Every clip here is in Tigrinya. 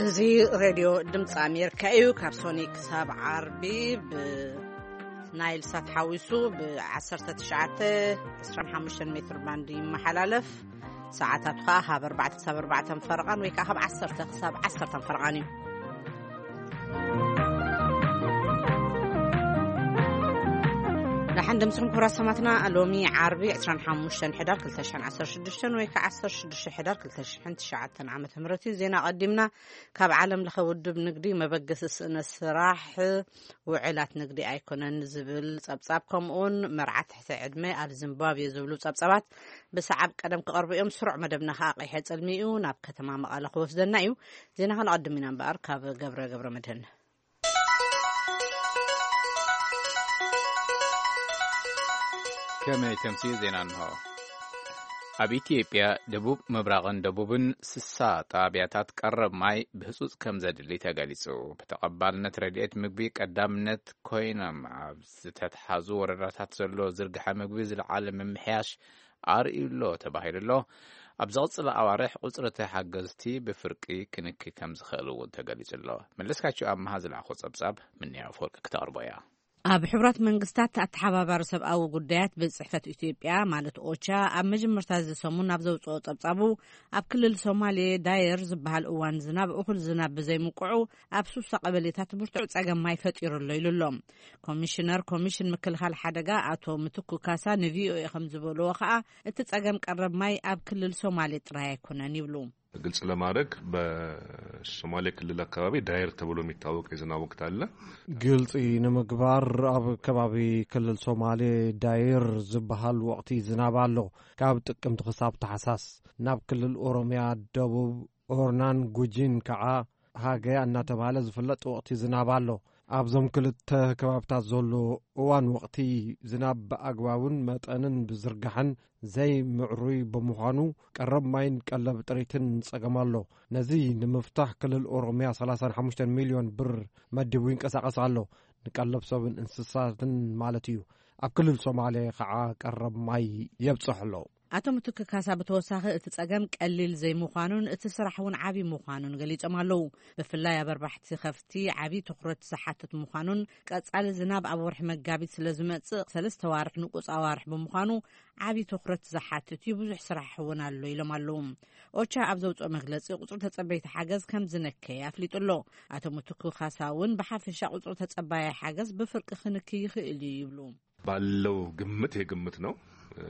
እዚ ሬድዮ ድምፂ ኣሜሪካ እዩ። ካብ ሶኒ ክሳብ ዓርቢ ብናይል ሳት ሓዊሱ ብ19፣ 25 ሜትር ባንድ ይመሓላለፍ። ሰዓታቱ ከዓ ካብ ኣርባዕተ ክሳብ ኣርባዕተ ፈረቓን ወይ ከዓ ካብ ዓሰርተ ክሳብ ዓሰርተ ፈረቓን እዩ። ደሓን ደምስኹም ክቡራት ሰማትና። ሎሚ ዓርቢ 25 ሕዳር 2016 ወይ ከዓ 16 ሕዳር 2009 ዓመተ ምህረት እዩ። ዜና ቀዲምና። ካብ ዓለም ለኸ ውድብ ንግዲ መበገሲ ስእነት ስራሕ ውዕላት ንግዲ ኣይኮነን ዝብል ጸብጻብ፣ ከምኡውን መርዓ ትሕቲ ዕድመ ኣብ ዚምባብዌ ዝብሉ ጸብጻባት ብሰዓብ ቀደም ክቐርቡ እዮም። ስሩዕ መደብና ከኣ ቀይሐ ጽልሚ እዩ፣ ናብ ከተማ መቐለ ክወስደና እዩ። ዜና ከነቐድም ኢና እምበኣር ካብ ገብረ ገብረ መድህን። ከመይ ተምሲ ዜና እንሆ። ኣብ ኢትዮጵያ ደቡብ ምብራቕን ደቡብን 60 ጣብያታት ቀረብ ማይ ብህጹጽ ከም ዘድሊ ተገሊጹ። ብተቐባልነት ረድኤት ምግቢ ቀዳምነት ኮይኖም ኣብ ዝተትሓዙ ወረዳታት ዘሎ ዝርግሐ ምግቢ ዝለዓለ ምምሕያሽ ኣርእዩ ኣሎ ተባሂሉ ኣሎ። ኣብ ዝቕጽል ኣዋርሕ ቁጽሪ ተሓገዝቲ ብፍርቂ ክንኪ ከም ዝኽእል እውን ተገሊጹ ኣሎ። መለስካቸው ኣመሃ ዝለኣኾ ጸብጻብ ምንያ ኣፈወርቂ ክተቕርቦ እያ። ኣብ ሕቡራት መንግስታት ኣተሓባባሪ ሰብኣዊ ጉዳያት ቤት ጽሕፈት ኢትዮጵያ ማለት ኦቻ ኣብ መጀመርታ እዚ ሰሙን ኣብ ዘውጽኦ ጸብጻቡ፣ ኣብ ክልል ሶማሌ ዳየር ዝበሃል እዋን ዝናብ እኹል ዝናብ ብዘይምቁዑ ኣብ ሱሳ ቀበሌታት ብርቱዕ ጸገም ማይ ፈጢሩ ኣሎ ኢሉ ኣሎ። ኮሚሽነር ኮሚሽን ምክልኻል ሓደጋ ኣቶ ምትኩ ካሳ ንቪኦኤ ከም ዝበልዎ ከኣ፣ እቲ ጸገም ቀረብ ማይ ኣብ ክልል ሶማሌ ጥራይ ኣይኮነን ይብሉ። ግልጽ ለማድረግ በሶማሌ ክልል አካባቢ ዳየር ተብሎ የሚታወቅ የዝናብ ወቅት አለ። ግልጺ ንምግባር ኣብ ከባቢ ክልል ሶማሌ ዳየር ዝበሃል ወቕቲ ዝናብ ኣሎ። ካብ ጥቅምቲ ክሳብ ታሕሳስ ናብ ክልል ኦሮሚያ ደቡብ ኦርናን ጉጂን ከዓ ሃገያ እናተባህለ ዝፍለጥ ወቕቲ ዝናብ ኣሎ። ኣብዞም ክልተ ከባብታት ዘሎ እዋን ወቕቲ ዝናብ ብኣግባቡን መጠንን ብዝርጋሕን ዘይምዕሩይ ብምዃኑ ቀረብ ማይን ቀለብ ጥሪትን ጸገም ኣሎ። ነዚ ንምፍታሕ ክልል ኦሮሚያ 35 ሚልዮን ብር መዲቡ ይንቀሳቐስ ኣሎ። ንቀለብ ሰብን እንስሳትን ማለት እዩ። ኣብ ክልል ሶማሌ ከዓ ቀረብ ማይ የብጽሕ ኣሎ። ኣቶ ምትኩ ካሳ ብተወሳኺ እቲ ጸገም ቀሊል ዘይምዃኑን እቲ ስራሕ እውን ዓቢ ምዃኑን ገሊጾም ኣለዉ። ብፍላይ ኣብ ኣርባሕቲ ከፍቲ ዓቢ ትኹረት ዝሓትት ምዃኑን ቀጻሊ ዝናብ ኣብ ወርሒ መጋቢት ስለ ዝመጽእ ሰለስተ ዋርሕ ንቁጽ ኣዋርሕ ብምዃኑ ዓቢ ትኹረት ዝሓትት እዩ፣ ብዙሕ ስራሕ እውን ኣሎ ኢሎም ኣለዉ። ኦቻ ኣብ ዘውጽኦ መግለጺ ቁጽሪ ተጸበይቲ ሓገዝ ከም ዝነከየ ኣፍሊጡ ኣሎ። ኣቶ ምትኩ ካሳ እውን ብሓፈሻ ቁጽሪ ተጸባያይ ሓገዝ ብፍርቂ ክንኪ ይኽእል እዩ ይብሉ። ባለው ግምት፣ ይሄ ግምት ነው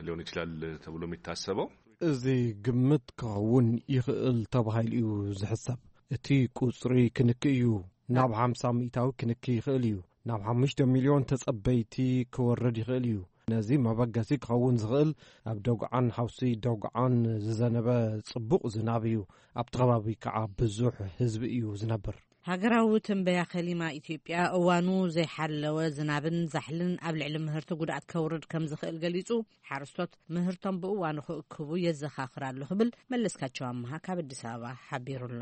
ሊሆን ይችላል ተብሎ የሚታሰበው። እዚ ግምት ክኸውን ይኽእል ተባሂሉ እዩ ዝሕሰብ። እቲ ቁጽሪ ክንኪ እዩ። ናብ 50% ክንኪ ይኽእል እዩ። ናብ 5 ሚልዮን ተጸበይቲ ክወርድ ይኽእል እዩ። ነዚ መበገሲ ክኸውን ዝኽእል ኣብ ደጉዓን ሓውሲ ደጉዓን ዝዘነበ ጽቡቕ ዝናብ እዩ። ኣብቲ ከባቢ ከዓ ብዙሕ ህዝቢ እዩ ዝነብር። ሃገራዊ ትንበያ ከሊማ ኢትዮጵያ እዋኑ ዘይሓለወ ዝናብን ዛሕልን ኣብ ልዕሊ ምህርቲ ጉድኣት ከውርድ ከም ዝኽእል ገሊጹ፣ ሓረስቶት ምህርቶም ብእዋኑ ክእክቡ የዘኻኽር ኣሎ ክብል መለስካቸው ኣመሃ ካብ ኣዲስ ኣበባ ሓቢሩ ኣሎ።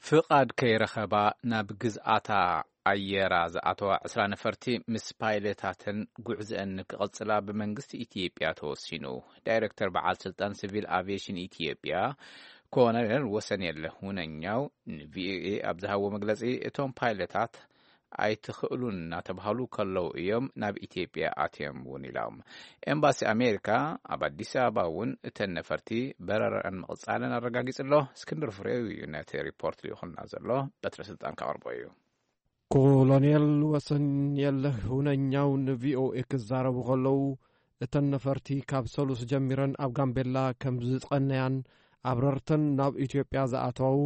ፍቓድ ከይረኸባ ናብ ግዝኣታ ኣየራ ዝኣተዋ 20 ነፈርቲ ምስ ፓይለታተን ጉዕዘአን ክቕጽላ ብመንግስቲ ኢትዮጵያ ተወሲኑ። ዳይሬክተር በዓል ስልጣን ሲቪል ኣቪዬሽን ኢትዮጵያ ኮሎኔል ወሰንየለህ ሁነኛው ንቪኦኤ ኣብ ዝሃቦ መግለጺ፣ እቶም ፓይለታት ኣይትኽእሉን እናተባህሉ ከለዉ እዮም ናብ ኢትዮጵያ ኣትዮም እውን ኢሎም። ኤምባሲ ኣሜሪካ ኣብ ኣዲስ ኣበባ እውን እተን ነፈርቲ በረራን ምቕጻለን ኣረጋጊጹ ኣሎ። እስክንድር ፍሬው እዩ ነቲ ሪፖርት ልኢኹልና ዘሎ፣ በትረ ስልጣን ከቕርቦ እዩ። ኮሎኔል ወሰንየለህ ሁነኛው ንቪኦኤ ክዛረቡ ከለዉ፣ እተን ነፈርቲ ካብ ሰሉስ ጀሚረን ኣብ ጋምቤላ ከም ዝጸነያን ኣብረርተን ናብ ኢትዮጵያ ዝኣተዉ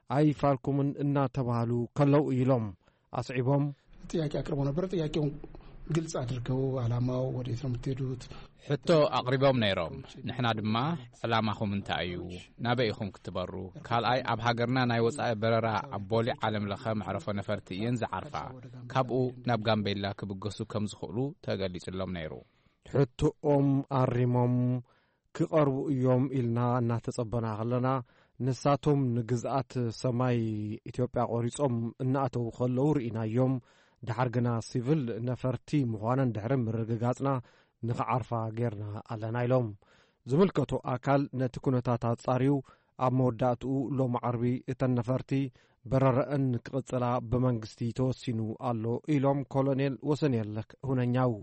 ኣይፋልኩምን እናተባህሉ ከለዉ ኢሎም። ኣስዒቦም፣ ጥያቄ አቅርቦ ነበር። ጥያቄውን ግልጽ አድርገው፣ ዓላማው ወዴት ነው የምትሄዱት? ሕቶ ኣቕሪቦም ነይሮም። ንሕና ድማ፣ ዕላማኹም እንታይ እዩ? ናበይ ኢኹም ክትበሩ? ካልኣይ፣ ኣብ ሃገርና ናይ ወጻኢ በረራ ኣብ ቦሌ ዓለም ለኸ መዕረፎ ነፈርቲ እየን ዝዓርፋ። ካብኡ ናብ ጋምቤላ ክብገሱ ከም ዝኽእሉ ተገሊጹሎም ነይሩ። ሕቶኦም ኣሪሞም ክቐርቡ እዮም ኢልና እናተጸበና ከለና፣ ንሳቶም ንግዝኣት ሰማይ ኢትዮጵያ ቆሪጾም እናኣተዉ ከለዉ ርኢናዮም። ደሓር ግና ሲቪል ነፈርቲ ምዃነን ድሕሪ ምርግጋጽና ንኽዓርፋ ጌርና ኣለና ኢሎም። ዝምልከቶ ኣካል ነቲ ኩነታት ኣጻርዩ ኣብ መወዳእትኡ ሎም ዓርቢ እተን ነፈርቲ በረረአን ክቕጽላ ብመንግስቲ ተወሲኑ ኣሎ ኢሎም ኮሎኔል ወሰንየለህ ሁነኛው።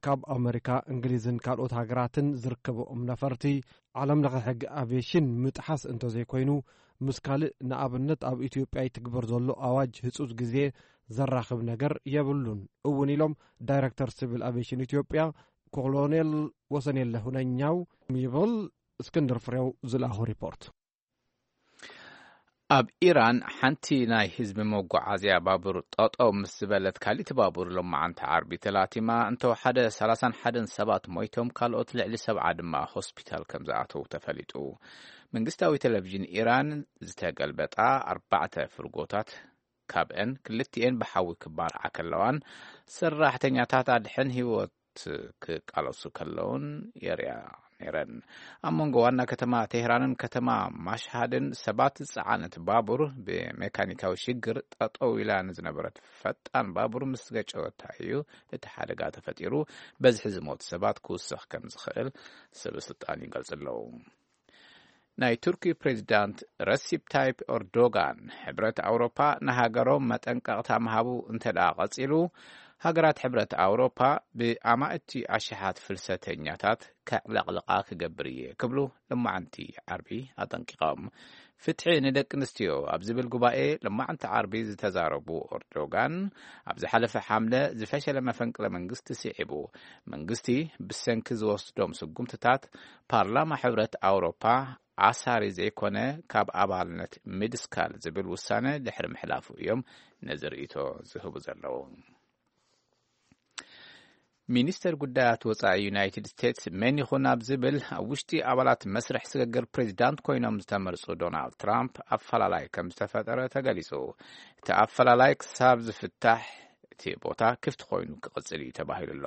ካብ ኣመሪካ፣ እንግሊዝን ካልኦት ሃገራትን ዝርከብኦም ነፈርቲ ዓለም ለኸ ሕጊ ኣቪዬሽን ምጥሓስ እንተዘይኮይኑ፣ ምስ ካልእ ንኣብነት ኣብ ኢትዮጵያ ይትግበር ዘሎ ኣዋጅ ህጹጽ ግዜ ዘራኽብ ነገር የብሉን እውን ኢሎም ዳይረክተር ሲቪል ኣቪዬሽን ኢትዮጵያ ኮሎኔል ወሰንየለህ ሁነኛው ይብል እስክንድር ፍሬው ዝለኣኹ ሪፖርት። ኣብ ኢራን ሓንቲ ናይ ህዝቢ መጓዓዝያ ባቡር ጠጠው ምስ ዝበለት፣ ካሊት ባቡር ሎማዓንቲ ዓርቢ ተላቲማ እንተወሓደ ሰላሳን ሓደን ሰባት ሞይቶም፣ ካልኦት ልዕሊ ሰብዓ ድማ ሆስፒታል ከም ዝኣተው ተፈሊጡ። መንግስታዊ ቴሌቪዥን ኢራን ዝተገልበጣ ኣርባዕተ ፍርጎታት፣ ካብአን ክልቲኤን ብሓዊ ክባልዓ ከለዋን ሰራሕተኛታት ኣድሕን ህይወት ክቃለሱ ከለውን የርእያ ነይረን። ኣብ መንጎ ዋና ከተማ ቴህራንን ከተማ ማሽሃድን ሰባት ዝጸዓነት ባቡር ብሜካኒካዊ ሽግር ጠጠው ኢላ ንዝነበረት ፈጣን ባቡር ምስ ገጨወታ እዩ እቲ ሓደጋ ተፈጢሩ። በዝሒ ዝሞቱ ሰባት ክውስኽ ከም ዝኽእል ሰበ ስልጣን ይገልጹ ኣለዉ። ናይ ቱርኪ ፕሬዚዳንት ረሲፕ ታይፕ ኤርዶጋን፣ ሕብረት ኣውሮፓ ንሃገሮም መጠንቀቕታ ምሃቡ እንተ ደኣ ቀጺሉ፣ ሃገራት ሕብረት ኣውሮፓ ብኣማእቲ ኣሽሓት ፍልሰተኛታት ከዕለቕልቓ ክገብር እየ ክብሉ ሎማዓንቲ ዓርቢ ኣጠንቂቖም። ፍትሒ ንደቂ ኣንስትዮ ኣብ ዝብል ጉባኤ ሎማዓንቲ ዓርቢ ዝተዛረቡ ኤርዶጋን፣ ኣብ ዝሓለፈ ሓምለ ዝፈሸለ መፈንቅለ መንግስቲ ስዒቡ፣ መንግስቲ ብሰንኪ ዝወስዶም ስጉምትታት ፓርላማ ሕብረት ኣውሮፓ ኣሳሪ ዘይኮነ ካብ ኣባልነት ምድስካል ዝብል ውሳነ ድሕሪ ምሕላፉ እዮም ነዚ ርእይቶ ዝህቡ ዘለዉ። ሚኒስተር ጉዳያት ወጻኢ ዩናይትድ ስቴትስ መን ይኹን ኣብ ዝብል፣ ኣብ ውሽጢ ኣባላት መስርሕ ስግግር ፕሬዚዳንት ኮይኖም ዝተመርጹ ዶናልድ ትራምፕ ኣፈላላይ ከም ዝተፈጠረ ተገሊጹ። እቲ ኣፈላላይ ክሳብ ዝፍታሕ እቲ ቦታ ክፍቲ ኮይኑ ክቕጽል እዩ ተባሂሉ ኣሎ።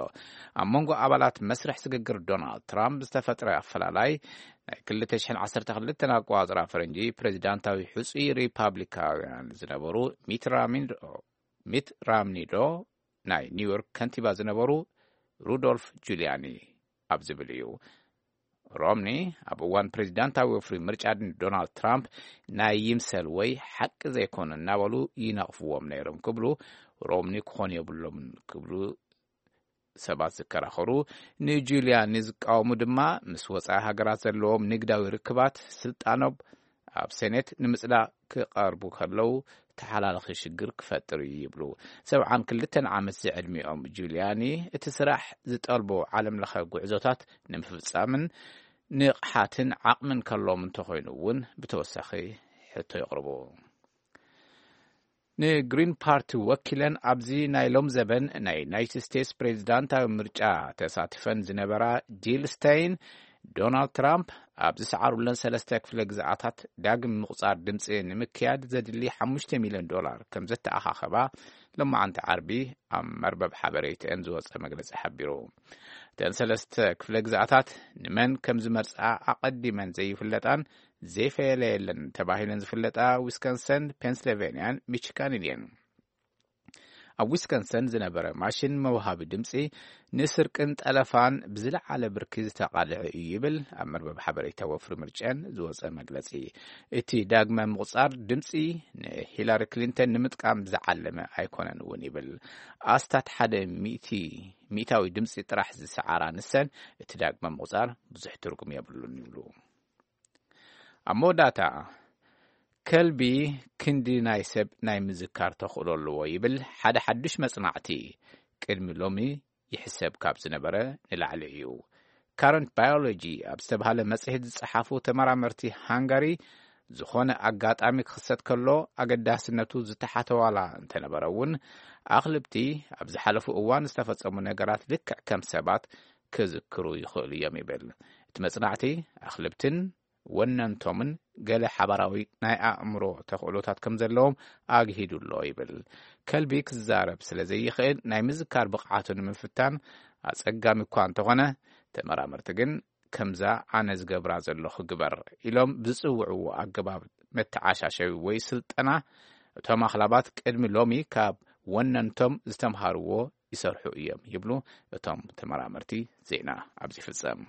ኣብ መንጎ ኣባላት መስርሕ ስግግር ዶናልድ ትራምፕ ዝተፈጥረ ኣፈላላይ፣ ናይ ክልተ ሽሕን ዓሰርተ ክልተን ኣቆጻጽራ ፈረንጂ ፕሬዚዳንታዊ ሕጹይ ሪፓብሊካውያን ዝነበሩ ሚት ራሚንዶ፣ ሚት ራምኒዶ፣ ናይ ኒውዮርክ ከንቲባ ዝነበሩ ሩዶልፍ ጁልያኒ ኣብ ዝብል እዩ። ሮምኒ ኣብ እዋን ፕሬዚዳንታዊ ወፍሪ ምርጫ ዶናልድ ትራምፕ ናይ ይምሰል ወይ ሓቂ ዘይኮኑ እናበሉ ይነቕፍዎም ነይሮም ክብሉ፣ ሮምኒ ክኾኑ የብሎምን ክብሉ ሰባት ዝከራኸሩ፣ ንጁልያኒ ዝቃወሙ ድማ ምስ ወጻኢ ሃገራት ዘለዎም ንግዳዊ ርክባት ስልጣኖም ኣብ ሴኔት ንምጽዳቕ ክቐርቡ ከለዉ ተሓላልኺ ሽግር ክፈጥር እዩ ይብሉ። ሰብዓን ክልተን ዓመት ዝዕድሚኦም ጁልያኒ፣ እቲ ስራሕ ዝጠልቦ ዓለም ለኸ ጉዕዞታት ንምፍጻምን ንቕሓትን ዓቕምን ከለዎም እንተኾይኑ እውን ብተወሳኺ ሕቶ የቕርቡ። ንግሪን ፓርቲ ወኪለን ኣብዚ ናይ ሎም ዘበን ናይ ዩናይትድ ስቴትስ ፕሬዚዳንታዊ ምርጫ ተሳትፈን ዝነበራ ጂል ስቴይን፣ ዶናልድ ትራምፕ ኣብ ዝሰዓሩለን ሰለስተ ክፍለ ግዝኣታት ዳግም ምቑጻር ድምፂ ንምክያድ ዘድሊ ሓሙሽተ ሚልዮን ዶላር ከም ዘተኣኻኸባ ሎማዓንቲ ዓርቢ ኣብ መርበብ ሓበሬተን ዝወፀ መግለፂ ሓቢሩ። እተን ሰለስተ ክፍለ ግዝኣታት ንመን ከም ዝመርፃ ኣቐዲመን ዘይፍለጣን ዘይፈለየለን ተባሂለን ዝፍለጣ ዊስኮንሰን፣ ፔንስልቬንያን ሚችጋንን እየን። ኣብ ዊስኮንሰን ዝነበረ ማሽን መውሃቢ ድምፂ ንስርቅን ጠለፋን ብዝለዓለ ብርኪ ዝተቓልዐ እዩ ይብል ኣብ መርበብ ሓበሬታ ወፍሪ ምርጫን ዝወፀ መግለፂ። እቲ ዳግመ ምቑፃር ድምፂ ንሂላሪ ክሊንተን ንምጥቃም ዝዓለመ ኣይኮነን እውን ይብል። ኣስታት ሓደ ሚእቲ፣ ሚእታዊ ድምፂ ጥራሕ ዝሰዓራ ንሰን እቲ ዳግመ ምቑፃር ብዙሕ ትርጉም የብሉን ይብሉ። ኣብ መወዳእታ፣ ከልቢ ክንዲ ናይ ሰብ ናይ ምዝካር ተኽእሎ ኣለዎ ይብል ሓደ ሓዱሽ መጽናዕቲ። ቅድሚ ሎሚ ይሕሰብ ካብ ዝነበረ ንላዕሊ እዩ። ካረንት ባዮሎጂ ኣብ ዝተባህለ መጽሔት ዝጸሓፉ ተመራመርቲ ሃንጋሪ፣ ዝኾነ ኣጋጣሚ ክኽሰት ከሎ ኣገዳስነቱ ዝተሓተ ዋላ እንተነበረ እውን፣ ኣኽልብቲ ኣብ ዝሓለፉ እዋን ዝተፈጸሙ ነገራት ልክዕ ከም ሰባት ክዝክሩ ይኽእሉ እዮም ይብል። እቲ መጽናዕቲ ኣኽልብትን ወነንቶምን ገለ ሓባራዊ ናይ ኣእምሮ ተኽእሎታት ከም ዘለዎም ኣግሂዱ ኣሎ ይብል። ከልቢ ክዛረብ ስለ ዘይኽእል ናይ ምዝካር ብቕዓቱ ንምፍታን ኣጸጋሚ እኳ እንተኾነ፣ ተመራመርቲ ግን ከምዛ ኣነ ዝገብራ ዘለኹ ግበር ኢሎም ብዝጽውዕዎ ኣገባብ መተዓሻሸዊ ወይ ስልጠና እቶም ኣኽላባት ቅድሚ ሎሚ ካብ ወነንቶም ዝተምሃርዎ ይሰርሑ እዮም ይብሉ እቶም ተመራመርቲ። ዜና ኣብዚ ይፍጸም።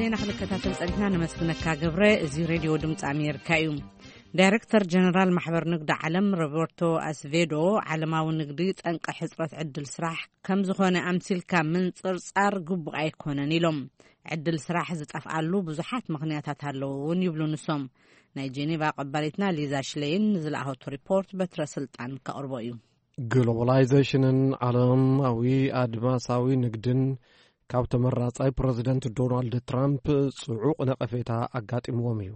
ዜና ክንከታተል ጸኒሕና። ነመስግነካ ገብረ። እዚ ሬድዮ ድምፂ ኣሜሪካ እዩ። ዳይረክተር ጀነራል ማሕበር ንግዲ ዓለም ሮበርቶ ኣስቬዶ፣ ዓለማዊ ንግዲ ጠንቂ ሕፅረት ዕድል ስራሕ ከም ዝኾነ ኣምሲልካ ምንፅርፃር ግቡእ ኣይኮነን ኢሎም። ዕድል ስራሕ ዝጠፍኣሉ ብዙሓት ምኽንያታት ኣለዉ እውን ይብሉ ንሶም። ናይ ጄኔቫ ቀባሊትና ሊዛ ሽሌይን ንዝለኣኸቶ ሪፖርት በትረ ስልጣን ከቕርቦ እዩ። ግሎባላይዜሽንን ዓለማዊ ኣድማሳዊ ንግድን ካብ ተመራጻይ ፕረዚደንት ዶናልድ ትራምፕ ጽዑቕ ነቐፌታ ኣጋጢምዎም እዩ።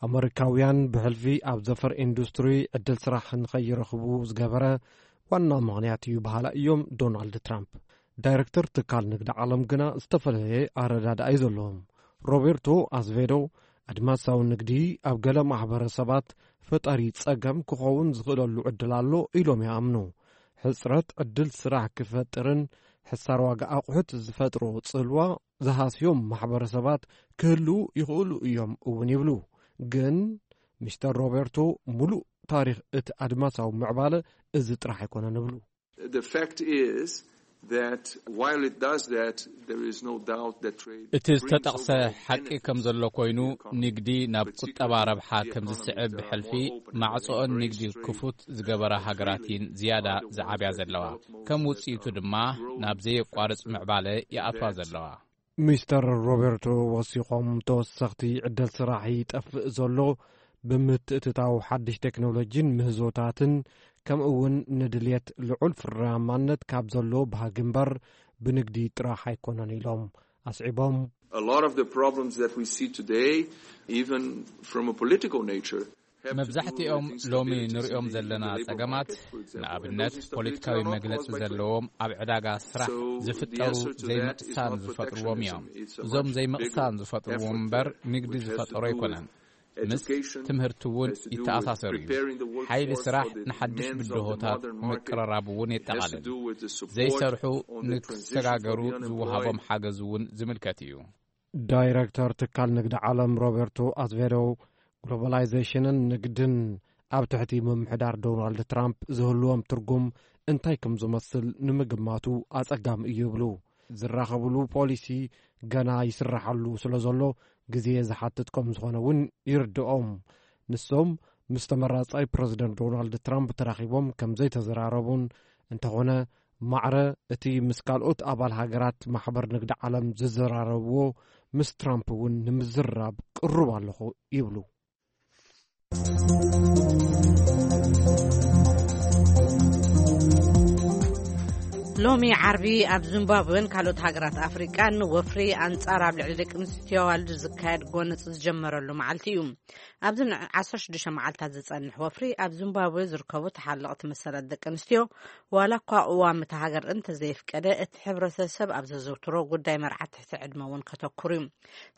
ኣመሪካውያን ብሕልፊ ኣብ ዘፈር ኢንዱስትሪ ዕድል ስራሕ ንኸይረኽቡ ዝገበረ ዋና ምኽንያት እዩ በሃላ እዮም ዶናልድ ትራምፕ። ዳይረክተር ትካል ንግዲ ዓለም ግና ዝተፈላለየ ኣረዳድኣ እዩ ዘለዎም። ሮቤርቶ ኣዝቬዶ፣ ኣድማሳዊ ንግዲ ኣብ ገለ ማሕበረሰባት ፈጣሪ ጸገም ክኸውን ዝኽእለሉ ዕድል ኣሎ ኢሎም ይኣምኑ። ሕጽረት ዕድል ስራሕ ክፈጥርን ሕሳር ዋጋ ኣቑሑት ዝፈጥሮ ጽልዋ ዝሃስዮም ማሕበረሰባት ክህልዉ ይኽእሉ እዮም እውን ይብሉ። ግን ሚስተር ሮቤርቶ፣ ሙሉእ ታሪኽ እቲ ኣድማሳዊ ምዕባለ እዚ ጥራሕ ኣይኮነን ይብሉ። The fact is that while it does that, there is no doubt that trade እቲ brings ዝተጠቕሰ over ሓቂ energy ከም ዘሎ ኮይኑ፣ ንግዲ ናብ ቁጠባ ረብሓ ከም ዝስዕብ ብሕልፊ ማዕጾኦን ንግዲ ክፉት ዝገበራ ሃገራት እየን ዝያዳ ዝዓብያ ዘለዋ። ከም ውጽኢቱ ድማ ናብ ዘየቋርጽ ምዕባለ ይኣትዋ ዘለዋ። ሚስተር ሮቤርቶ ወሲኾም፣ ተወሰኽቲ ዕድል ስራሕ ይጠፍእ ዘሎ ብምትእትታው ሓድሽ ቴክኖሎጂን ምህዞታትን፣ ከምኡ እውን ንድልየት ልዑል ፍርያማነት ካብ ዘሎ ባህጊ እምበር ብንግዲ ጥራሕ ኣይኮነን ኢሎም ኣስዒቦም። A lot of the problems that we see today, even from a political nature, መብዛሕትኦም ሎሚ ንሪኦም ዘለና ጸገማት፣ ንኣብነት ፖለቲካዊ መግለጺ ዘለዎም ኣብ ዕዳጋ ስራሕ ዝፍጠሩ ዘይምቕሳን ዝፈጥርዎም እዮም። እዞም ዘይምቕሳን ዝፈጥርዎም እምበር ንግዲ ዝፈጠሮ ኣይኮነን። ምስ ትምህርቲ እውን ይተኣሳሰር እዩ። ሓይሊ ስራሕ ንሓድሽ ብድሆታት ምቅርራብ እውን የጠቓልል። ዘይሰርሑ ንክሰጋገሩ ዝወሃቦም ሓገዝ እውን ዝምልከት እዩ። ዳይረክተር ትካል ንግዲ ዓለም ሮቤርቶ ኣዝቬዶ፣ ግሎባላይዜሽንን ንግድን ኣብ ትሕቲ ምምሕዳር ዶናልድ ትራምፕ ዝህልዎም ትርጉም እንታይ ከም ዝመስል ንምግማቱ ኣጸጋሚ እዩ ይብሉ። ዝራኸብሉ ፖሊሲ ገና ይስራሓሉ ስለ ዘሎ ግዜ ዝሓትት ከም ዝኾነ እውን ይርድኦም። ንሶም ምስ ተመራጻይ ፕረዚደንት ዶናልድ ትራምፕ ተራኺቦም ከም ዘይተዘራረቡን፣ እንተኾነ ማዕረ እቲ ምስ ካልኦት ኣባል ሃገራት ማሕበር ንግዲ ዓለም ዝዘራረብዎ፣ ምስ ትራምፕ እውን ንምዝራብ ቅሩብ ኣለኹ ይብሉ። ሎሚ ዓርቢ ኣብ ዚምባብዌን ካልኦት ሃገራት ኣፍሪቃን ወፍሪ ኣንጻር ኣብ ልዕሊ ደቂ ኣንስትዮ ኣዋልድ ዝካየድ ጎነጽ ዝጀመረሉ መዓልቲ እዩ። ኣብዚ ን ዓሰርተ ሽዱሽተ መዓልታት ዝጸንሕ ወፍሪ ኣብ ዚምባብዌ ዝርከቡ ተሓለቕቲ መሰላት ደቂ ኣንስትዮ፣ ዋላ እኳ ቅዋም እታ ሃገር እንተዘየፍቀደ፣ እቲ ሕብረተሰብ ኣብ ዘዘውትሮ ጉዳይ መርዓት ትሕቲ ዕድመ እውን ከተኩር እዩ።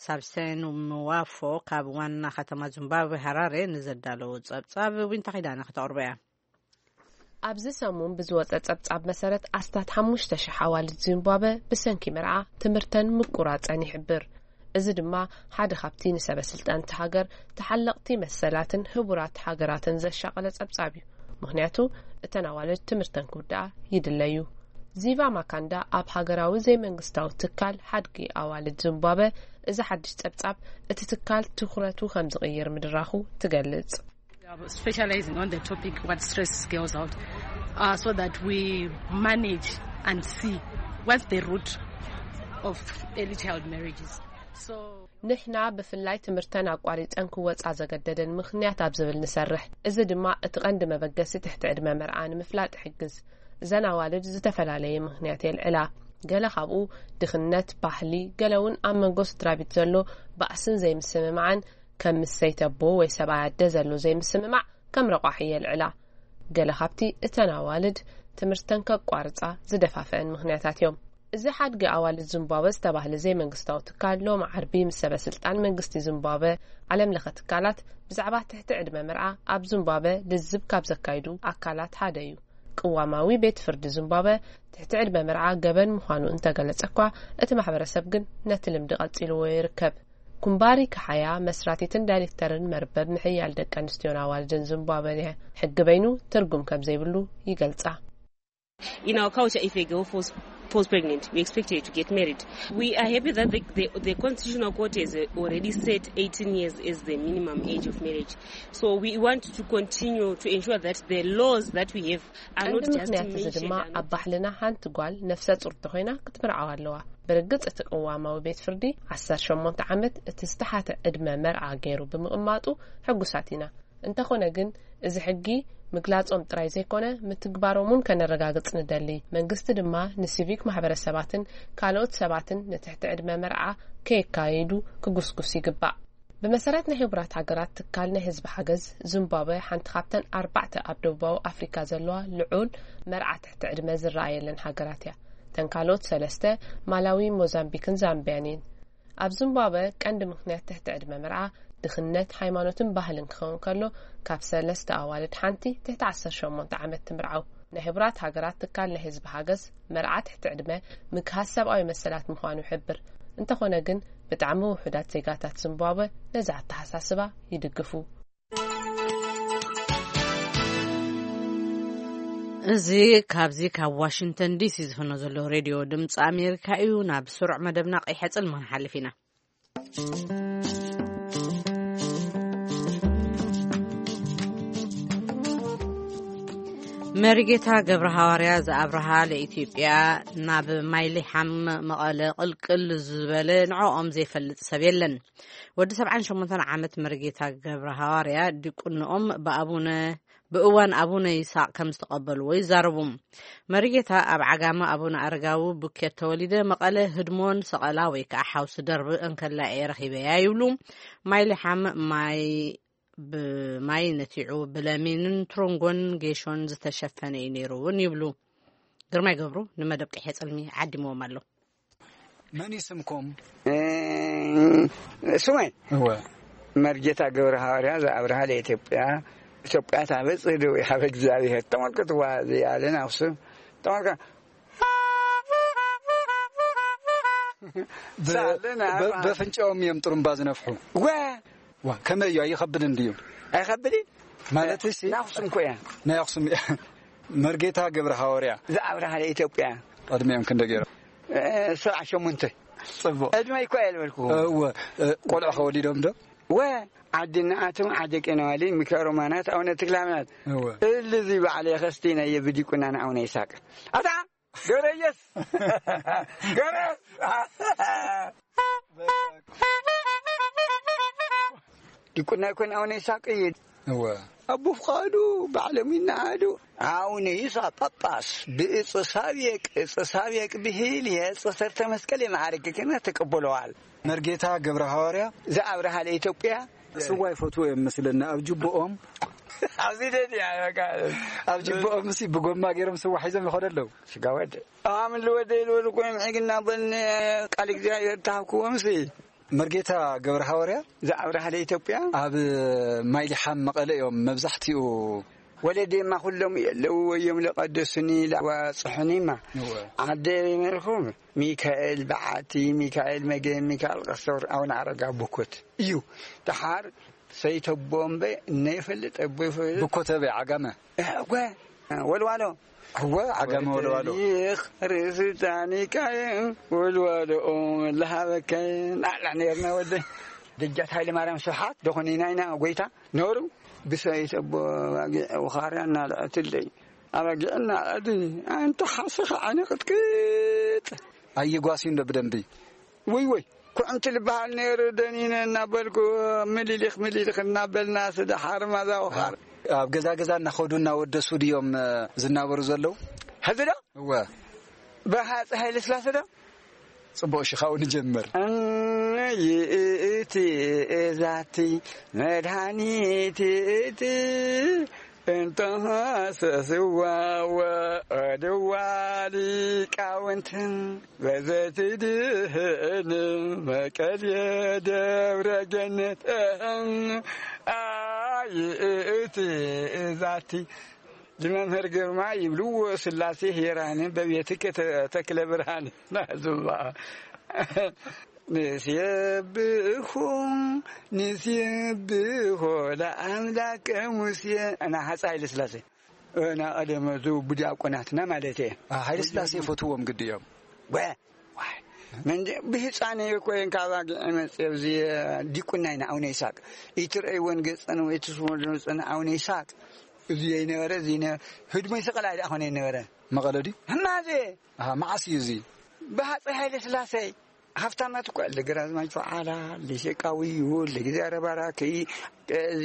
ሳብሴን ምዋፎ ካብ ዋና ከተማ ዚምባብዌ ሃራሬ ንዘዳለዎ ጸብጻብ ዊንታ ኪዳነ ከተቕርቦ እያ። ኣብዚ ሰሙን ብዝወጸ ጸብጻብ መሰረት፣ ኣስታት ሓሙሽተ ሽሕ ኣዋልድ ዚምባብወ ብሰንኪ መርዓ ትምህርተን ምቁራጸን ይሕብር። እዚ ድማ ሓደ ካብቲ ንሰበ ስልጣን እቲ ሃገር፣ ተሓለቕቲ መሰላትን ህቡራት ሃገራትን ዘሻቐለ ጸብጻብ እዩ። ምኽንያቱ፣ እተን ኣዋልድ ትምህርተን ክውድኣ ይድለዩ። ዚቫ ማካንዳ ኣብ ሃገራዊ ዘይመንግስታዊ ትካል ሓድጊ ኣዋልድ ዚምባብወ፣ እዚ ሓድሽ ጸብጻብ እቲ ትካል ትኹረቱ ከም ዝቕይር ምድራኹ ትገልጽ። We are specializing on the topic what stresses girls out, uh, so that we manage and see what's the root of early child marriages. So ንሕና ብፍላይ ትምህርተን ኣቋሪጸን ክወጻ ዘገደደን ምኽንያት ኣብ ዝብል ንሰርሕ። እዚ ድማ እቲ ቀንዲ መበገሲ ትሕቲ ዕድመ መርዓ ንምፍላጥ ይሕግዝ። እዘን ኣዋልድ ዝተፈላለየ ምኽንያት የልዕላ። ገለ ካብኡ ድኽነት፣ ባህሊ፣ ገለ እውን ኣብ መንጎ ስድራ ቤት ዘሎ ባእስን ዘይምስምማዕን፣ ከም ምስ ሰይቲ ኣቦ ወይ ሰብኣይ ኣደ ዘሎ ዘይምስምማዕ ከም ረቋሒ የልዕላ። ገለ ካብቲ እተን ኣዋልድ ትምህርተን ከቋርጻ ዝደፋፍአን ምኽንያታት እዮም። እዚ ሓድጊ ኣዋልድ ዚምባብወ ዝተባህለ ዘይመንግስታዊ ትካል ሎሚ ዓርቢ ምስ ሰበ ስልጣን መንግስቲ ዚምባብወ፣ ዓለም ለኸ ትካላት ብዛዕባ ትሕቲ ዕድመ መርዓ ኣብ ዚምባብወ ልዝብ ካብ ዘካይዱ ኣካላት ሓደ እዩ። ቅዋማዊ ቤት ፍርዲ ዚምባብወ ትሕቲ ዕድመ መርዓ ገበን ምዃኑ እንተገለጸ እኳ፣ እቲ ማሕበረሰብ ግን ነቲ ልምዲ ቀጺልዎ ይርከብ። ኩምባሪ ካሓያ መስራቲትን ዳይሬክተርን መርበብ ምሕያል ደቂ ኣንስትዮን ኣዋልድን ዚምባብወ ሕጊ በይኑ ትርጉም ከም ዘይብሉ ይገልጻ። In our culture, if a girl falls, Falls pregnant, we expect her to get married. We are happy that the, the, the Constitutional Court has uh, already set eighteen years as the minimum age of marriage. So we want to continue to ensure that the laws that we have are not just ምኽንያት እዚ ድማ ኣብ ባህልና ሓንቲ ጓል ነፍሰ ፁር ተኮይና ክትምርዓው ኣለዋ። ብርግፅ እቲ ቅዋማዊ ቤት ፍርዲ ዓሰርተ ሸሞንተ ዓመት እቲ ዝተሓተ ዕድመ መርዓ ገይሩ ብምቕማጡ ሕጉሳት ኢና። እንተኾነ ግን፣ እዚ ሕጊ ምግላጾም ጥራይ ዘይኮነ፣ ምትግባሮም እውን ከነረጋግጽ ንደሊ። መንግስቲ ድማ ንሲቪክ ማሕበረሰባትን ካልኦት ሰባትን ንትሕቲ ዕድመ መርዓ ከየካይዱ ክጉስጉስ ይግባእ። ብመሰረት ናይ ሕቡራት ሃገራት ትካል ናይ ህዝቢ ሓገዝ፣ ዚምባብወ ሓንቲ ካብተን ኣርባዕተ ኣብ ደቡባዊ ኣፍሪካ ዘለዋ ልዑል መርዓ ትሕቲ ዕድመ ዝረኣየለን ሃገራት እያ። እተን ካልኦት ሰለስተ ማላዊ፣ ሞዛምቢክን ዛምቢያን እየን። ኣብ ዚምባብወ ቀንዲ ምኽንያት ትሕቲ ዕድመ መርዓ ድኽነት፣ ሃይማኖትን ባህልን ክኸውን ከሎ፣ ካብ ሰለስተ ኣዋልድ ሓንቲ ትሕቲ ዓሰርተ ሸሞንተ ዓመት ትምርዓው። ናይ ሕቡራት ሃገራት ትካል ናይ ህዝቢ ሓገዝ፣ መርዓ ትሕቲ ዕድመ ምግሃስ ሰብኣዊ መሰላት ምዃኑ ይሕብር። እንተኾነ ግን፣ ብጣዕሚ ውሑዳት ዜጋታት ዚምባብወ ነዚ ኣተሓሳስባ ይድግፉ። እዚ ካብዚ ካብ ዋሽንግተን ዲሲ ዝፍኖ ዘሎ ሬድዮ ድምፂ ኣሜሪካ እዩ። ናብ ስሩዕ መደብና ቀይሐ ጽልማ ንሓልፍ ኢና። መሪጌታ ገብረ ሃዋርያ ዘኣብርሃ ለኢትዮጵያ ናብ ማይሊሓም መቐለ ቅልቅል ዝበለ ንዕኦም ዘይፈልጥ ሰብ የለን። ወዲ ሰብዓን ሸሞንተን ዓመት መርጌታ ገብረ ሃዋርያ ዲቁንኦም ብኣቡነ ብእዋን ኣቡነ ይስሐቅ ከም ዝተቐበልዎ ይዛረቡ። መርጌታ ኣብ ዓጋመ ኣቡነ ኣረጋዊ ቡኬት ተወሊደ፣ መቐለ ህድሞን ሰቐላ ወይ ከዓ ሓውሲ ደርቢ እንከላ እየ ረኺበያ ይብሉ። ማይ ልሓም ማይ ብማይ ነቲዑ ብለሚንን ትሮንጎን ጌሾን ዝተሸፈነ እዩ ነይሩ እውን ይብሉ። ግርማይ ገብሩ ንመደብ ቀይሐ ጽልሚ ዓዲምዎም ኣሎ። መን እዩ ስምኩም? እ፣ ስመይ እወ። መርጌታ ገብረ ሃዋርያ ዘኣብርሃ ለኢትዮጵያ። ኢትዮጵያ ታበጽሕ እደዊሃ በእግዚኣብሔር። ተመልከትዋ፣ እዚኣ ለናፍሱ። ተመልከ-፣ ብ-፣ ሳለና ብ-፣ በፍንጫኦም እዮም ጥሩምባ ዝነፍሑ። ወ-፣ ዋ፣ ከመይ እዩ? ኣይኸብድን ድዩ? ኣይኸብድን? ማለት እሺ። ናይ ኣኽሱም እኮ እያ። ናይ ኣኽሱም እያ። መርጌታ ገብረ ሃዋርያ። ዝኣብርሃ ኢትዮጵያ። ዕድሜኦም ክንደይ ገይሮም? እ፣ ሰብዓ ሸሞንተ። ጽቡቕ። ዕድመይ እኮ እየ ዝበልኩ። እወ፣ እ፣ ቆልዑ ከወሊዶም ዶ? ወ፣ ዓዲ እናኣተው ዓዲ ቄነዋሊ ሚካኤል ሮማናት ኣቡነ ተክለሃይማኖት። እወ። እልዚ በዓል የኸስቲ ናይ ብዲቁና ንኣቡነ ይስሐቅ። ኣታ ገረየስ! ገረየስ! ዲቁና ይኮን ኣቡነ ይስሐቅ እዩ። እወ። ኣቦ ፍቃዱ ባዕሎም ይነኣዱ። ኣቡነ ይስሐቅ ጳጳስ ብእጽ ሳብየቅ፣ እጽ ሳብየቅ ብሂል የእጽ ሰርተ መስቀል የማዕርግ ክህነት ተቀብለዋል። መርጌታ ገብረ ሃዋርያ። ዘኣብርሃ ለኢትዮጵያ። ስዋ ይፈትዉ እዮም መስለኒ ኣብ ጅብኦም። ኣብዚ ደድያ በቃ። ኣብ ጅብኦም ሲ ብጎማ ገይሮም ስዋ ሒዞም ይኸዱ ኣለዉ። ስጋ ወደ ኣምን ልወደ ኢሉ ወደ ኮይም ሕግና በልኒ ቃል እግዚኣብሔር ተሃብክዎም ሲ። መርጌታ ገብረ ሃዋርያ። ዝኣብርሃ ለኢትዮጵያ። ኣብ ማይሊሓም መቐለ እዮም መብዛሕትኡ። ወለዴማ ኩሎም የለው እዮም ለቀደሱኒ ለዋጽሑኒማ። እወ። ዓደ ይመልኹም ሚካኤል በዓቲ፣ ሚካኤል መገን፣ ሚካኤል ቀሶር፣ ኣቡነ ኣረጋ ቡኮት እዩ። ደሓር ሰይተቦ እምበ እነ ይፈልጥ፣ ኣቦ ይፈልጥ። ቡኮት ኣበይ? ዓጋመ? እወ፣ ወልዋሎ። እወ፣ ዓጋመ ወልዋሎ። ወተሪኽ ርእሲ ታኒካየ ወልዋሎ ለሃበካየ ናዕላ ነርና ወደ። ደጃት ሃይለ ማርያም ስብሓት ደኾነ ኢና ኢና ጎይታ ነሩ ብሰይተቦ ኣባጊዕ ውኻርያ እናልዐትለይ። ኣባጊዕ እናልዐትኒ፣ ኣንተ ሓሰኻ ዓይነ ቅጥቅጥ። ኣይጓስዩ እንዶ ብደንቢ። ወይ ወይ፣ ኩዕንቲ ልበሃል ነይሩ ደኒነ እናበልኩ፣ ምሊሊኽ ምሊሊኽ እናበልና ስደሓር ማዛ ውኻር። ኣብ ገዛ ገዛ እናኸዱ እናወደሱ ድዮም፣ እ፣ ዝናበሩ ዘለዉ? ሕዚ ዶ? እወ። ብሃፀ ሃይለ ስላሴ ዶ? ጽቡቕ፣ እሺ፣ ካብኡ ንጀምር። እነ ይእቲ እዛቲ መድሃኒት ይእቲ እንተሃሰስዋ ወእድዋ ሊቃውንትን በዘትድህን መቀልየ ደብረ ገነት። ኣይ እቲ እዛቲ ዝመምህር ግርማ ይብልዎ ስላሴ ሄራን በቤትከ ተ-፣ ተክለ ብርሃን ናዙባ። ንሴብሖ፣ ንሴብሖ ለኣምላከ ሙሴ። እና ሃፀ ሃይለ ስላሴ። እና ቀደመ ዙ ብዲያቆናትና ማለት እየ። አ፣ ሃይለ ስላሴ ይፈትዎም ግዲ እዮም። ወ ዋይ መንደ ብህፃነ እኮ እየን ካብ ኣጊዐ መፅእ። እዚ ዲቁና ኢና ኣቡነ ይስሐቅ ይትርእይዎን ገፀን ወይ ትስመሉ ገፀን ኣቡነ ይስሐቅ እዚ የይነበረ እዚ ይነ- ህድሞ ይስቀል ኣይደኣ ኮነ ይነበረ። መቐለ ድዩ? ህማዜ ኣሃ፣ መዓስ እዩ እዚ? ብሃፀይ ሃይለ ስላሴ ሃፍታማት እኮ ኣለ። ግራዝማች በዓላ፣ ለሸቃዊ ይሁን ለጊዜ ኣረባራኪ፣ እዚ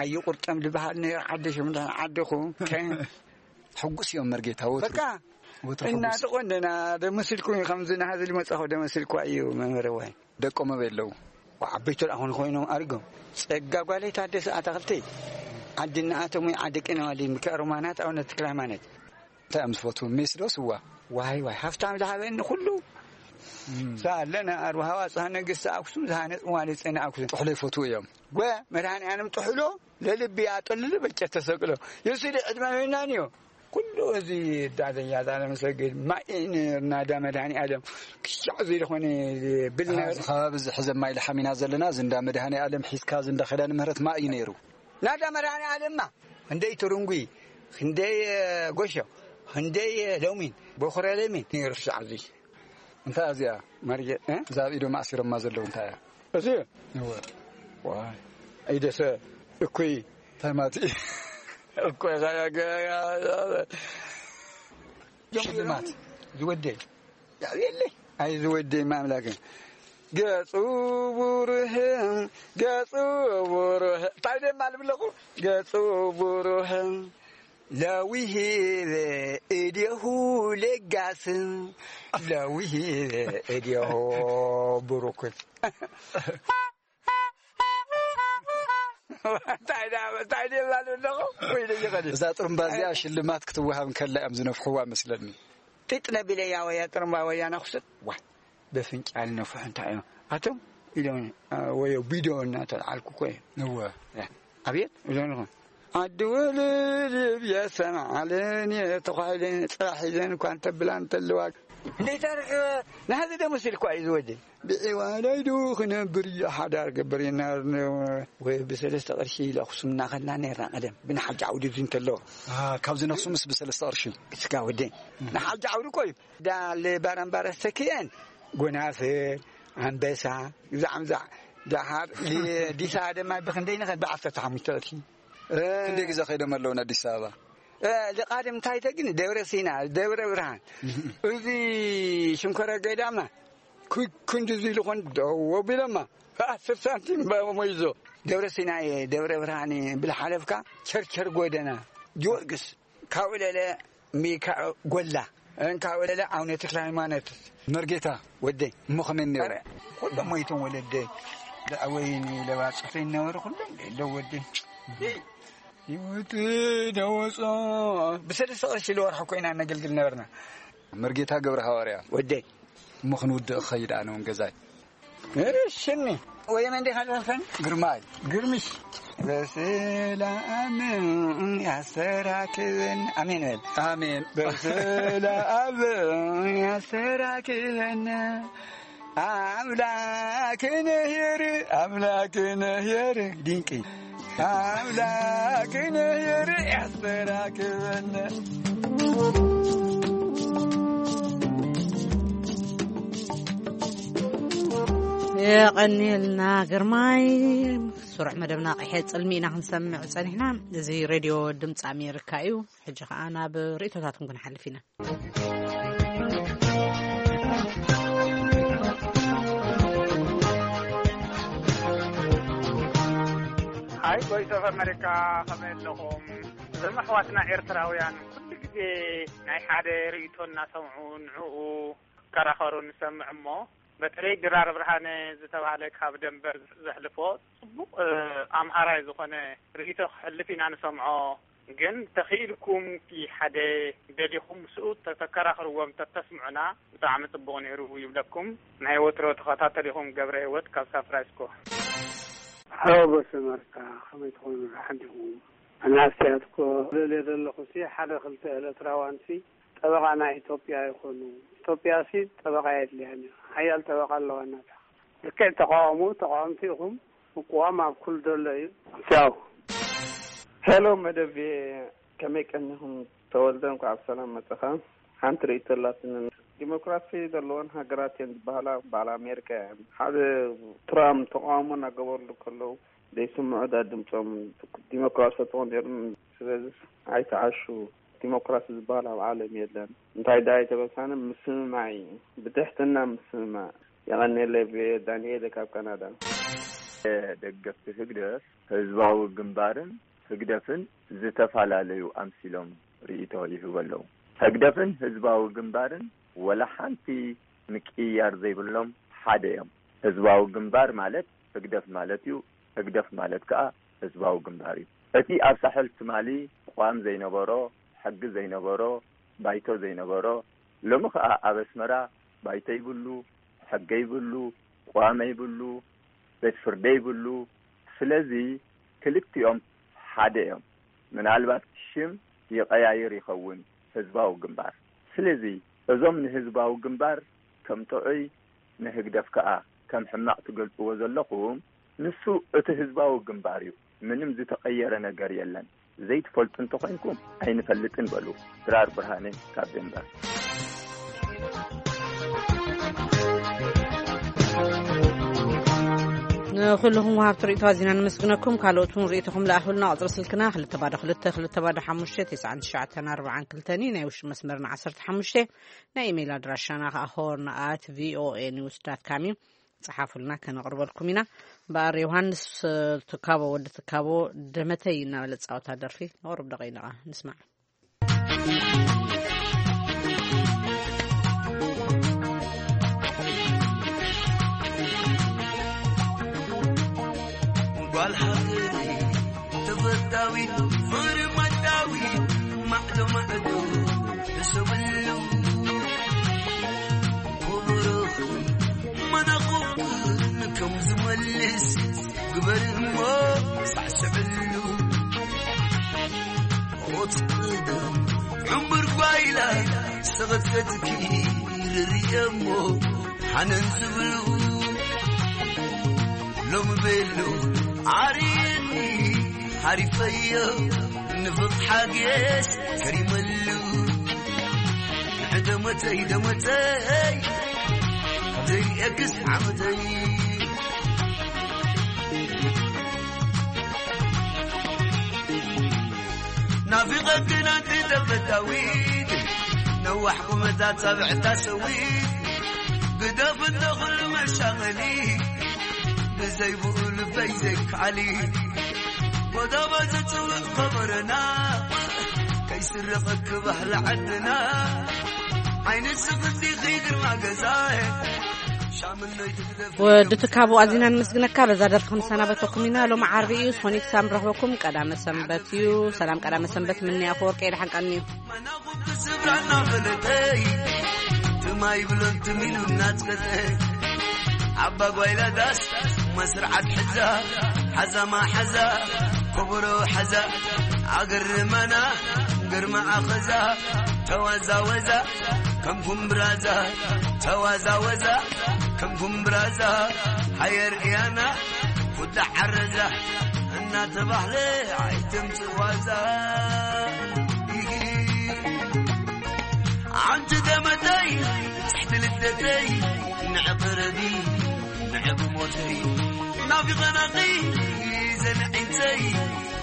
ኣዩ ቁርጠም ዝበሃል ነይሩ። ዓዲ ሽምዳን ዓድኹ ከ- ሕጉስ እዮም መርጌታ ወትሩ። በቃ ወትሩ ሕጉስ። እናተቆንደና ደመስልኩ እዩ። ከምዚ ናሃዚ ልመጻኹ ደመስልኩ እዩ መምህር ዋይ። ደቆም ኣበይ ኣለዉ? ዓበይቱ ደኣ ኾን ኮይኖም ኣሪጎም። ጸጋ ጓለይ ታደሰ ኣታኽልቲ ዓዲ እናኣቶም ወይ ዓዲ ቅነዋሊ ምክዕርማናት ኣቡነ ተክለ ሃይማኖት። እንታይ እዮም ዝፈትዉ? ሜስ ዶ ስዋ? ዋይ ዋይ ሃፍታም ዝሃበኒ ኩሉ እም። ሳለና ኣርባሃዋ ጽሃ ነገስቲ ኣክሱም ዝሃነጽ መዋልድ ጽዮን ኣክሱም። ጥሕሎ ይፈትዉ እዮም። ጎ መድሃኒ ኣለም ጥሕሎ ለልቢ ኣጠልሉ በጨ ተሰቅሎ የሱዲ ዕድመ መናንዮ ኩሉ እዚ ዳዘያ ዛለ መሰግድ ማይ ነርና ዳ መድሃኒ ኣለም ክሻዕ እዚ ዝኾነ ብል ኣሃ፣ ነር እዚ ከባቢ እዚ ሕዘ ማይ ለሓሚና ዘለና እዚ እንዳ መድሃኒ ኣለም ሒዝካ እዚ እንዳ ኸዳን ምህረት ማይ እዩ ነይሩ። ናዳ መድሃኒ ኣለማ ክንደይ ትርንጉ ክንደይ ጎሾ ክንደይ ለሚን በኹረ ለሚን ነይሩ ክሻዕ እዚ እንታይ እዚኣ? መርጌ እ? እዛ ኣብ ኢዶም ኣሲሮማ ዘለዉ እንታይ እያ? እዚ እወ። ዋይ። ኣይደሰ እኩይ እንታይ ማለት እዩ? እኮ ሽልማት ዝወደ ያብየለ ኣይ ዝወደ ማምላክ ገጹ ብሩህ ገጹ ብሩህ እንታይ ደማ ልብለኹ ገጹ ብሩህ ለዊሂበ እዴሁ ለጋስ ለዊሂበ እዴሁ ብሩክ እንታይ ዳ- እንታይ ደላ ኣለኹ ወይ ደይኸዲ እዛ ጥሩምባ እዚኣ ሽልማት ክትወሃብ እንከላ እዮም ዝነፍሕዋ መስለኒ። ጢጥ ነቢለያ ወያ ጥሩምባ ወያ ነኽስጥ ዋ በፍንጫል ነፍሑ እንታይ እዮም ኣቶም ኢሎም ወዮ ቢዶ እናተልዓልኩ እኮ እየ እወ። ኣብየት ኢሎም ኣለኹ ዓዲ ውልድ ብየሰን ዓለን እየ ተኳሒለን ፅራሕ ሒዘን እኳ እንተብላ እንተለዋ እንዴት ኣርክ ናህዚ ደምስ ኢልኳ እዩ ዝወደ ብዒዋዳይ ዶ ክነብር እየ ሓዳር ገበር እየ እናበልና ወይ ብሰለስተ ቅርሺ ኢለ ኣክሱም እናኸድና ነርና ቀደም ብናሓጃ ዓውዲ እዚ እንተለዎ ኣሃ፣ ካብዚ ነኽሱ ምስ ብሰለስተ ቅርሺ ስጋ ወደ ናሓጃ ዓውዲ እኮ እዩ ዳ ለባራምባረ ዝተክየን ጎናፍር ኣንበሳ ግዛዕ ምዛዕ ደሓር ዲሳ ደማ ብክንደይ ንኸድ ብዓሰርተ ሓሙሽተ ቅርሺ ክንደይ ግዜ ከይዶም ኣለዉ ንኣዲስ ኣበባ? ልቃድም እንታይ ተግኒ ደብረ ሲና ደብረ ብርሃን እዚ ሽንኮረ ገዳማ ኩ- ክንዲ እዚ ኢሉ ኮን ደው ኣቢሎማ ኣስር ሳንቲም ሞይዞ ደብረ ሲና እየ ደብረ ብርሃን እየ ብልሓለፍካ ቸርቸር ጎደና ጊዮርጊስ ካብኡ ለለ ሚካ ጎላ እንካብኡ ለለ ኣቡነ ተክለ ሃይማኖት መርጌታ ወደይ እሞ ከመይ ነይሩ? ኩሎም ሞይቶም ወለደይ ደኣወይኒ ለባፅፈይ ነበሩ ኩሎም የለው ወደይ ህይወት ደወፆ ብሰለስተ ቅርሺ ለወርሒ ኮይና ነገልግል ነበርና መርጌታ ገብረ ሃዋርያ ወደይ እሞ ክንውድእ ክኸይድ ኣነ እውን ገዛይ ሽኒ ወየነ እንዴ ካልፈን ግርማይ ግርምሽ በሰላም ያሰራክብን ኣሜን በል ኣሜን በሰላም ያሰራክበን ኣምላክ ነሄር ኣምላክ ነሄር ድንቂ ኣምላክ ነሄር ያሰራክበን የቐንየልና ግርማይ። ስሩዕ መደብና ቀይሐ ጽልሚ ኢና ክንሰምዕ ጸኒሕና። እዚ ሬድዮ ድምፂ ኣሜሪካ እዩ። ሕጂ ኸዓ ናብ ርእቶታትኩም ክንሓልፍ ኢና። ሃይ ቮይስ ኦፍ ኣሜሪካ ከመይ ኣለኹም? እዞም ኣሕዋትና ኤርትራውያን ኩሉ ግዜ ናይ ሓደ ርእቶ እናሰምዑ ንዕኡ ክከራኸሩ ንሰምዕ እሞ በተለይ ድራር ብርሃነ ዝተባህለ ካብ ደንበር ዘሕልፎ ጽቡቕ ኣምሃራይ ዝኾነ ርእይቶ ክሕልፍ ኢና ንሰምዖ። ግን ተኺኢልኩም እቲ ሓደ ደሊኹም ምስኡ ተተከራኽርዎም ተተስምዑና ብጣዕሚ ጽቡቕ ነይሩ ይብለኩም። ናይ ወትሮ ተኸታተሊኹም ገብረ ህይወት ካብ ሳን ፍራንሲስኮ። ሓወቦ ሰመርታ ከመይ ትኾኑ ደሓን ዲኹም? ኣናስትያት እኮ ልል ዘለኹ ሲ ሓደ ክልተ ኤርትራውያን ሲ ጠበቓ ናይ ኢትዮጵያ ይኾኑ። ኢትዮጵያ ሲ ጠበቓ የድልያን እዩ። ሓያል ጠበቓ ኣለዋ ናታ። ልክዕ ተቓውሞ ተቓወምቲ ኢኹም። ምቅዋም ኣብ ኩሉ ዘሎ እዩ። ቻው። ሄሎ መደብ ከመይ ቀኒኹም? ተወልደ እንኳዕ ብሰላም መጸኻ። ሓንቲ ርእይቶ ኣላትኒ። ዲሞክራሲ ዘለወን ሃገራት እየን ዝበሃላ በዓል ኣሜሪካ እየን። ሓደ ትራምፕ ተቃውሞ እናገበርሉ ከለዉ ዘይስምዑ ዳ ድምፆም ዲሞክራሲ ተኾን ነይሮም። ስለዚ ኣይተዓሹ፣ ዲሞክራሲ ዝበሃል ኣብ ዓለም የለን። እንታይ ዳ ኣይተበሳነ ምስምማዕ እዩ፣ ብትሕትና ምስምማዕ። የቐኔለ ዳንኤል ካብ ካናዳ። ደገፍቲ ህግደፍ ህዝባዊ ግንባርን ህግደፍን ዝተፈላለዩ ኣምሲሎም ርእይቶ ይህቡ ኣለዉ። ህግደፍን ህዝባዊ ግንባርን ወላ ሓንቲ ምቅይያር ዘይብሎም ሓደ እዮም። ህዝባዊ ግንባር ማለት ህግደፍ ማለት እዩ። ህግደፍ ማለት ከኣ ህዝባዊ ግንባር እዩ። እቲ ኣብ ሳሕል ትማሊ ቅዋም ዘይነበሮ፣ ሕጊ ዘይነበሮ፣ ባይቶ ዘይነበሮ፣ ሎሚ ከኣ ኣብ ኣስመራ ባይቶ ይብሉ፣ ሕጊ ይብሉ፣ ቅዋም ይብሉ፣ ቤት ፍርዲ ይብሉ። ስለዚ ክልቲኦም ሓደ እዮም። ምናልባት ሽም ይቐያይር ይኸውን ህዝባዊ ግንባር። ስለዚ እዞም ንህዝባዊ ግንባር ከም ጥዑይ ንህግደፍ ከኣ ከም ሕማቕ ትገልጽዎ ዘለኹም፣ ንሱ እቲ ህዝባዊ ግንባር እዩ። ምንም ዝተቐየረ ነገር የለን። ዘይትፈልጡ እንተኾይንኩም ኣይንፈልጥን በሉ። ድራር ብርሃነ ካብ ደንበር። ንኹልኹም ወሃብቲ ርእይቶ ኣዚና ነመስግነኩም። ካልኦት እውን ርእይቶኹም ለኣኹልና። ቁጽሪ ስልክና ክልተ ባዶ ክልተ ክልተ ባዶ ሓሙሽተ ትስዓን ትሽዓተን ኣርባዓን ክልተን እዩ። ናይ ውሽጢ መስመርና ዓሰርተ ሓሙሽተ። ናይ ኢሜይል ኣድራሻና ከኣ ሆርን ኣት ቪኦኤ ኒውስ ዳት ካም እዩ። ጸሓፉልና፣ ከነቕርበልኩም ኢና። በኣር ዮሃንስ ትካቦ፣ ወዲ ትካቦ፣ ደመተይ እናበለ ዝጻወታ ደርፊ ንቕርብ ደቐይንቓ ንስማዕ። ጓል ሃገረይ ተፈታዊት፣ ፍርማታዊት፣ ማዕዶ ማዕዶ ሕሰብሉ። ክብርኽን መናቕብክን ከም ዝመልስ ግበር እሞ ሳዕስዕሉ። ሞት ቅደም ዕምር ጓይላ ሰቐትከትኪ ርርየ እሞ ሃነን ዝብሉ። ሎም ቤሎ ዓርየኒ ሓሪፈዮ ንፍቕ ሓግየስ ከሪመሉ። ንዕደመተይ ደመተይ ዘይእክስ ዓመተይ። ናፊቐክን ኣንቲ ተፈታዊት ነዋሕ ቁመታ ጻብዕታ ሰዊት ግደፍ እንተ ኹሉ መሻቐሊ ብዘይብኡ ልበይ ዘይከኣሊ። ጎዳባ ዘጽውዕ ከበረና ከይስረቐኪ ባህሊ ዓድና። ዓይኒ ስኽቲ ግርማ ገዛይ ሻምነይ ትግደፍ። ወዲ ትካቡ ኣዚና ንምስግነካ። በዛ ደርፊ ክንሰናበተኩም ኢና። ሎም ዓርቢ እዩ፣ ሶኒክ ሳም ረኽበኩም። ቀዳመ ሰንበት እዩ። ሰላም ቀዳመ ሰንበት ምንያ ኣፈወርቂ የድሓን ቀኒ እዩ። መናኹ ክስብራና ፈለጠይ ትማይ ብሎን ትሚሉ እናጽቀጠ ኣባ ጓይላ ዳስ መስርዓት ሕዛ ሓዛማ ሓዛ ኮቦሮ ሓዛ ኣገርመና ግርማ ኣኸዛ ተዋዛወዛ ከም ኩምብራዛ ተዋዛወዛ ከም ኩምብራዛ ሃየር እያና ኩዳ ዓረዛ እናተባህለ ኣይተምጽእ ዋዛ። ኣንቲ ደመተይ ጽሕቲ ልደተይ ንዕቕረቢ ንዕብ ሞተይ ናፊቐናኺ ዘንዒንተይ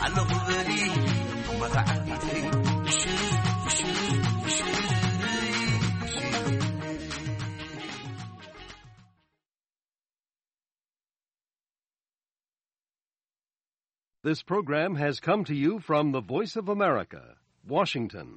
ኣለኹ በሊ መኻዓቢተይ ሽር ሽር ሽር። This program has come to you from the Voice of America, Washington.